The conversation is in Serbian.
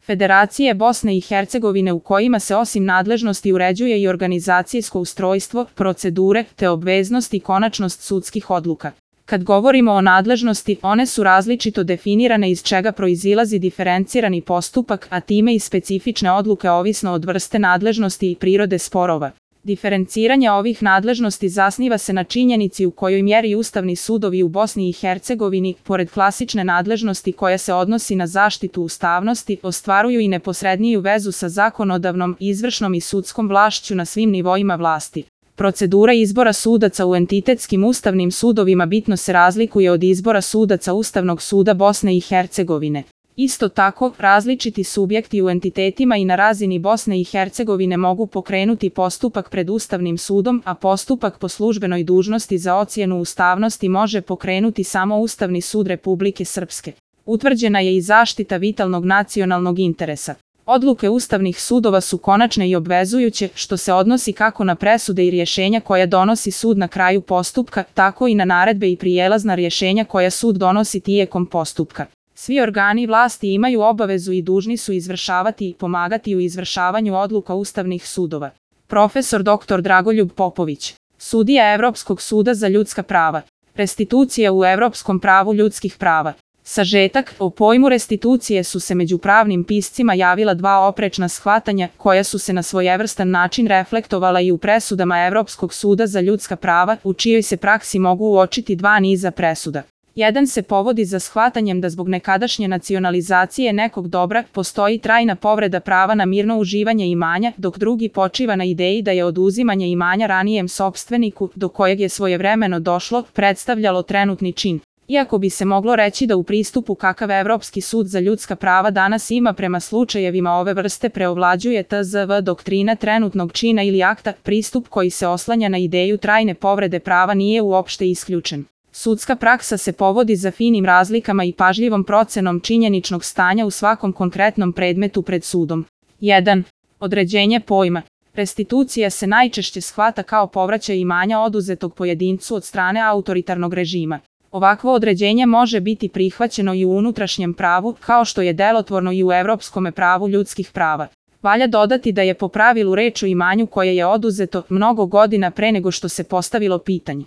Federacije Bosne i Hercegovine u kojima se osim nadležnosti uređuje i organizacijsko ustrojstvo, procedure, te obveznost i konačnost sudskih odluka. Kad govorimo o nadležnosti, one su različito definirane iz čega proizilazi diferencirani postupak, a time i specifične odluke ovisno od vrste nadležnosti i prirode sporova. Diferenciranje ovih nadležnosti zasniva se na činjenici u kojoj mjeri ustavni sudovi u Bosni i Hercegovini, pored klasične nadležnosti koja se odnosi na zaštitu ustavnosti, ostvaruju i neposredniju vezu sa zakonodavnom, izvršnom i sudskom vlašću na svim nivoima vlasti. Procedura izbora sudaca u entitetskim ustavnim sudovima bitno se razlikuje od izbora sudaca Ustavnog suda Bosne i Hercegovine. Isto tako, različiti subjekti u entitetima i na razini Bosne i Hercegovine mogu pokrenuti postupak pred Ustavnim sudom, a postupak po službenoj dužnosti za ocjenu ustavnosti može pokrenuti samo Ustavni sud Republike Srpske. Utvrđena je i zaštita vitalnog nacionalnog interesa. Odluke ustavnih sudova su konačne i obvezujuće, što se odnosi kako na presude i rješenja koja donosi sud na kraju postupka, tako i na naredbe i prijelazna rješenja koja sud donosi tijekom postupka. Svi organi vlasti imaju obavezu i dužni su izvršavati i pomagati u izvršavanju odluka ustavnih sudova. Profesor dr. Dragoljub Popović, sudija Evropskog suda za ljudska prava. Restitucija u evropskom pravu ljudskih prava. Sažetak, o pojmu restitucije su se među pravnim piscima javila dva oprečna shvatanja, koja su se na svojevrstan način reflektovala i u presudama Evropskog suda za ljudska prava, u čijoj se praksi mogu uočiti dva niza presuda. Jedan se povodi za shvatanjem da zbog nekadašnje nacionalizacije nekog dobra postoji trajna povreda prava na mirno uživanje imanja, dok drugi počiva na ideji da je oduzimanje imanja ranijem sopstveniku, do kojeg je svojevremeno došlo, predstavljalo trenutni čin. Iako bi se moglo reći da u pristupu kakav Evropski sud za ljudska prava danas ima prema slučajevima ove vrste preovlađuje tzv. Doktrina trenutnog čina ili akta, pristup koji se oslanja na ideju trajne povrede prava nije uopšte isključen. Sudska praksa se povodi za finim razlikama i pažljivom procenom činjeničnog stanja u svakom konkretnom predmetu pred sudom. 1. Određenje pojma. Restitucija se najčešće shvata kao povraćaj imanja oduzetog pojedincu od strane autoritarnog režima. Ovakvo određenje može biti prihvaćeno i u unutrašnjem pravu, kao što je delotvorno i u evropskome pravu ljudskih prava. Valja dodati da je po pravilu reč o imanju koje je oduzeto mnogo godina pre nego što se postavilo pitanje.